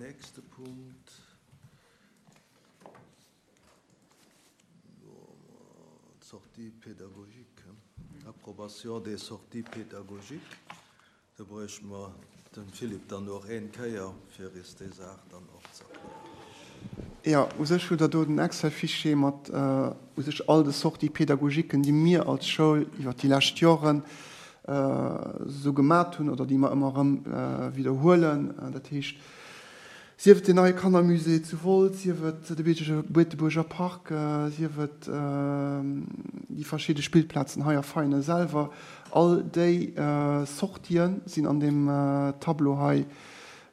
nächste Punkt. Sortie pédagogique, approbation des sorties pédagogiques. Do bräuchte mer dem Philippe dann och een Kéier, fir is déi Saach dann och ze erklären. Jo, u sech hutt Der do den Excel-Fichier mat u sech all de Sorties pédagogiquen, déi mir als Schoul iwwert déi lescht Joren esou gemat hunn oder déi mer ëmmer erëm widderhuelen. Dat heescht, Sief et den neie Kannermusée zu Wolz, sief et de Beetebuerger Park, sief et déi verschidde Spillplazen hei a Veianen selwer, all déi Sortië sinn an deem Tableau hei,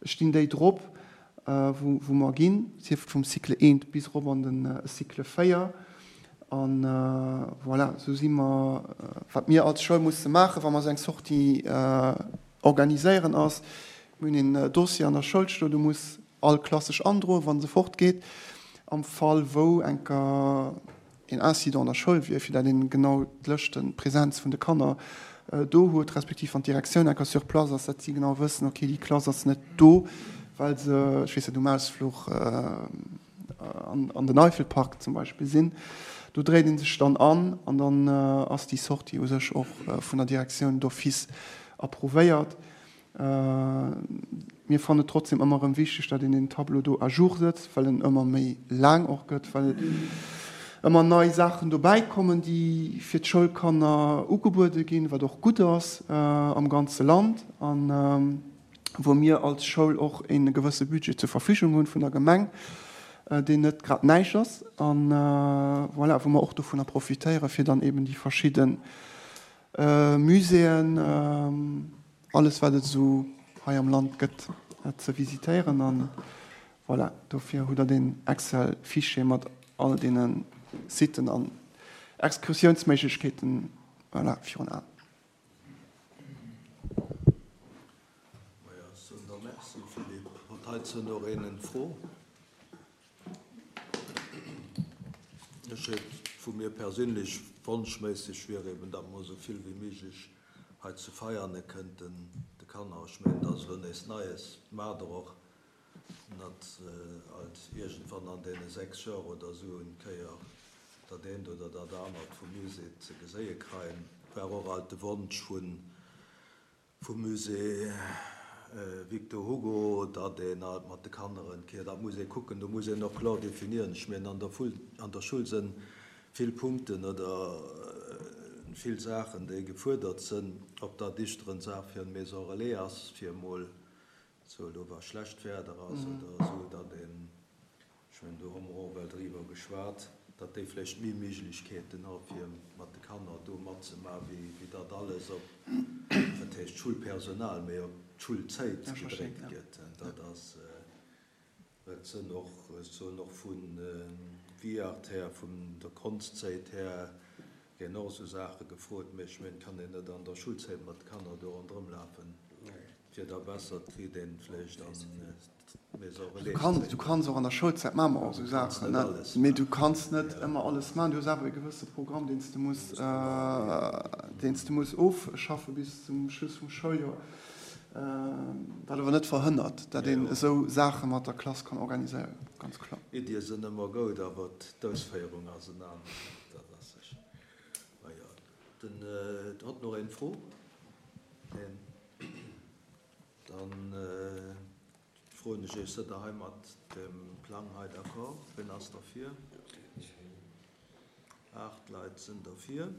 stinn déi drop, wou mer ginn, sief et vum Cycle eent bis erop an de Cycle 4. A voilà, esou si mer, wat mir als Schoul musse maachen, wa mer esou eng Sortie organiséieren, ass, Mir hunn een Dossier an der Schoul stoen, do muss all Klass sech androen, wa se fortgeet, am Fall wou enker een Incident an der Schoul wier, fir dat een genau d'Lëschten, d'Präsenz vun de Kanner do huet, respektiv wann d'Direktioun enker sur place ass, dat si genau wëssen, okay, déi Klass ass net do, well se, ech weess net, um Ausfluch an den Eifelpark zum Beispill sinn. Do dréit ee sech dann an an dann ass déi Sortie u sech och vun der Direktioun d'office approuvéiert. Mir fannen et trotzdem ëmmer erëm wichteg, datt een deen Tableau do à jour sëtzt, well en ëmmer méi laang och gëtt, well ëmmer nei Saachen dobäi kommen, déi fir d'Schoulkanner ugebuede ginn, wat och gutt ass am ganze Land a wou mir als Schoul och e gewësse Budget zur Verfügung hunn vun der Gemeng, deen net grad näischt ass a voilà, wou mer och dovunner profitéieren, fir dann eben déi verschidde Muséeën, alles wat et esou hei am Land gëtt ze visitéieren an voilà, dofir hutt der deen Excel Fichier mat all deene Siten an Excursiounsméiglechkeeten, voilà, virun Aen. Majo, ech soen der Merci Philippe. Huet heizou nach een eng Fro? Ech hätt vu mir perséinlech, wonschméisseg wier eben, datt mer esou vill wéi méiglech hei zu Veiane kënnten de Kanner, ech mengen, dat ass elo nees Neies, maacht Der och net alt iergendwann an deene 6 Joer oder esou en Kéier dat eent oder dat anert vum Musée ze geséie kreien, war och alt de Wonsch vun Vum Musée Victor Hugo, datt een alt mat de Kanner en Kéier, dat muss ee kucken, do muss een och kloer definieren, ech mengen an der Full, an der Schull sënn vill Punkten oder vill Saachen déi gefuerdert sënn, ob dat ischter en Saach fir en Maison Relais ass, fir emol sou elo wa schlecht Werder ass oder esou, datt een Ech mengen, do hu mer och ewell driwwer geschwat, datt déi vläicht méi Méiglechkeeten hu fir mat de Kanner do matzemaachen, wéi datt alles op, wat heescht Schulpersonal, mee op d'Schulzäit gedréckt gëtt. Dat ass, et sënn och, ech soen och vu Viart här, vun der Konstzäit här, ginn och esou Saache gefrot. Mee ech mengen, et kann een net an der Schulzäit mat de Kanner do ronderëm lafen, fir da besser, et kritt een vläicht an Du kanns och an der Schoulzäit maache mer och esou Saachen, mee du kanns net ëmmer alles maachen. Du hues awer e gewësse Programm, deen s de muss, deen s de muss ofschaffe bis zum Schluss vum Schouljoer, wat awer net verhënnert, datt een esou Saache mat der Klass kann organiséieren, ganz kloer. Iddie sënn ëmmer goud, awer d'Ausféierung ass en aner. Dat ass sécher. Majo, den huet nach een Fro? Neen. Dann froen ech Iech, Sëtt Der hei mat dem Plang hei d'accord? Wien ass derfir? Aacht Leit sinn derfir.